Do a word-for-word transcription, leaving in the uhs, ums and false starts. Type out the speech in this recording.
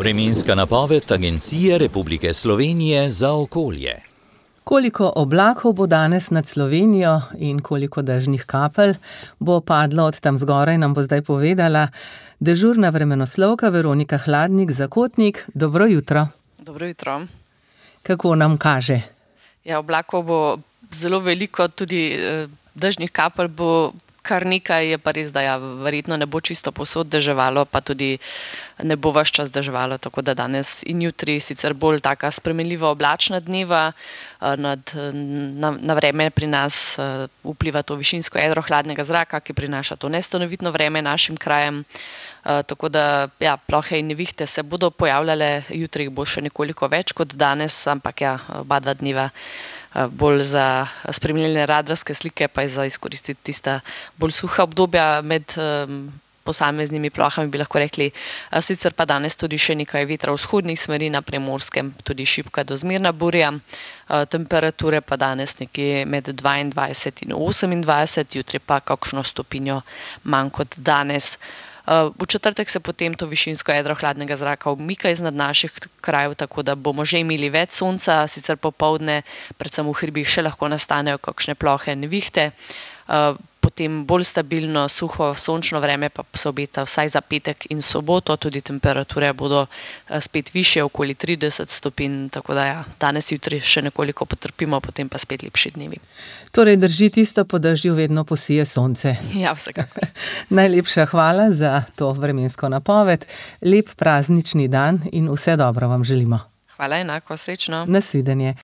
Vremenska napoved Agencije Republike Slovenije za okolje. Koliko oblakov bo danes nad Slovenijo in koliko dežnih kapelj bo padlo od tam zgoraj, nam bo zdaj povedala dežurna vremenoslovka Veronika Hladnik-Zakotnik. Dobro jutro. Dobro jutro. Kako nam kaže? Ja, oblakov bo zelo veliko, tudi dežnih kapelj bo kar nekaj, je pa res, da ja, verjetno ne bo čisto povsod deževalo, pa tudi ne bo ves čas deževalo, tako da danes in jutri sicer bolj taka spremenljiva oblačna dneva, nad, na, na vreme pri nas vpliva to višinsko jedro hladnega zraka, ki prinaša to nestanovitno vreme našim krajem, tako da ja, plohe in nevihte se bodo pojavljale, jutri jih bo še nekoliko več kot danes, ampak ja, oba dva dneva bolj za spremljanje radarske slike, pa je za izkoristiti tista bolj suha obdobja med um, posameznimi plohami, bi lahko rekli. Sicer pa danes tudi še nekaj vetra v vzhodnih smeri na Primorskem, tudi šibka do zmerna burja. Temperature pa danes nekje med dvaindvajset in osemindvajset, jutri pa kakšno stopinjo manj kot danes. V četrtek se potem to višinsko jedro hladnega zraka umika iznad naših krajev, tako da bomo že imeli več sonca, sicer popoldne, predvsem v hribih, še lahko nastanejo kakšne plohe nevihte. Potem bolj stabilno, suho, sončno vreme pa se obeta vsaj za petek in soboto, tudi temperature bodo spet višje, okoli trideset stopinj, tako da ja, danes jutri še nekoliko potrpimo, potem pa spet lepši dnevi. Torej drži tisto, po dežju vedno posije sonce. Ja, vsekakor. Najlepša hvala za to vremensko napoved. Lep praznični dan in vse dobro vam želimo. Hvala, enako, srečno. Nasvidenje.